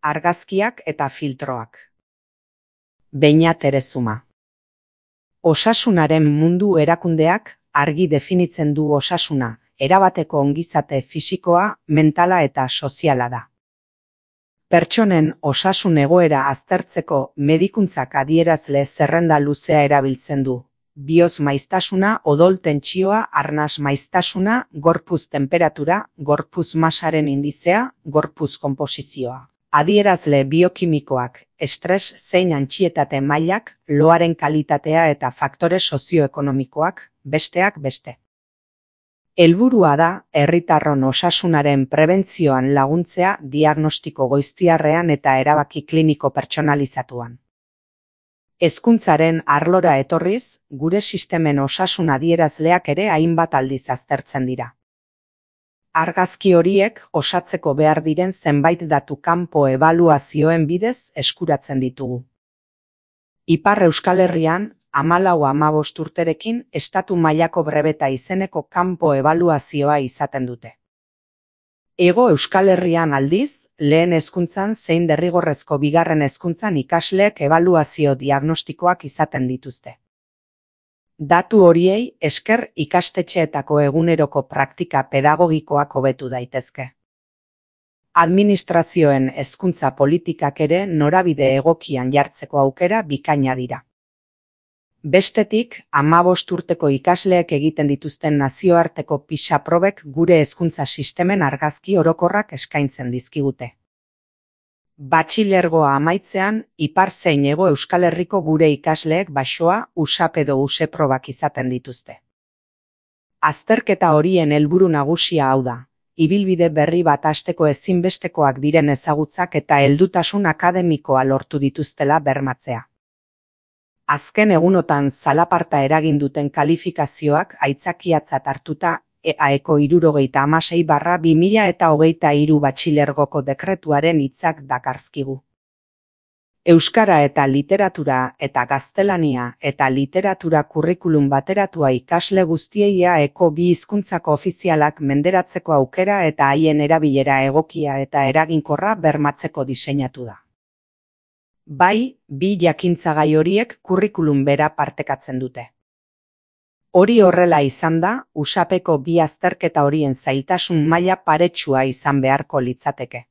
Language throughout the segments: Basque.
argazkiak eta filtroak. Beñat Erezuma. Osasunaren mundu erakundeak argi definitzen du osasuna, erabateko ongizate fisikoa, mentala eta soziala da. Pertsonen osasun egoera aztertzeko medikuntzak adierazle zerrenda luzea erabiltzen du. Bihotz maiztasuna, odol tentsioa, arnas maiztasuna, gorputz tenperatura, gorputz masaren indizea, gorputz konposizioa. Adierazle biokimikoak, estres zein antsietate mailak, loaren kalitatea eta faktore sozioekonomikoak, besteak beste. Helburua da herritarron osasunaren prebentzioan laguntzea diagnostiko goiztiarrean eta erabaki kliniko pertsonalizatuan. Hezkuntzaren arlora etorriz, gure sistemen osasun adierazleak ere hainbat aldiz aztertzen dira. Argazki horiek osatzeko behar diren zenbait datu kanpo ebaluazioen bidez eskuratzen ditugu. Ipar Euskal Herrian, 14-15 urterekin estatu mailako brebeta izeneko kanpo ebaluazioa izaten dute. Hego Euskal Herrian aldiz, lehen hezkuntzan zein derrigorrezko bigarren hezkuntzan ikasleek ebaluazio diagnostikoak izaten dituzte. Datu horiei esker ikastetxeetako eguneroko praktika pedagogikoak hobetu daitezke. Administrazioen hezkuntza politikak ere norabide egokian jartzeko aukera bikaina dira. Bestetik, 15 urteko ikasleek egiten dituzten nazioarteko PISA probek gure hezkuntza sistemen argazki orokorrak eskaintzen dizkigute. Batxilergoa amaitzean, Ipar zein Hego Euskal Herriko gure ikasleek baxoa, USAP edo USE probak izaten dituzte. Azterketa horien helburu nagusia hau da, ibilbide berri bat hasteko ezinbestekoak diren ezagutzak eta heldutasun akademikoa lortu dituztela bermatzea. Azken egunotan zalaparta eragin duten kalifikazioak aitzakiatzat hartuta EAEko 76/2023 batxilergoko dekretuaren hitzak dakarzkigu. Euskara eta literatura eta gaztelania eta literatura kurrikulum bateratua ikasle guztiei EAEko 2 hizkuntzako ofizialak menderatzeko aukera eta haien erabilera egokia eta eraginkorra bermatzeko diseinatu da. Bai, 2 jakintzagai horiek kurrikulum bera partekatzen dute. Hori horrela izan da, USAPeko 2 azterketa horien zailtasun maila paretsua izan beharko litzateke.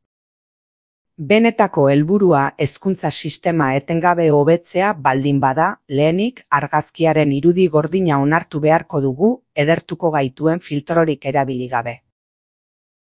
Benetako helburua hezkuntza sistema etengabe hobetzea baldin bada, lehenik argazkiaren irudi gordina onartu beharko dugu edertuko gaituen filtrorik erabili gabe.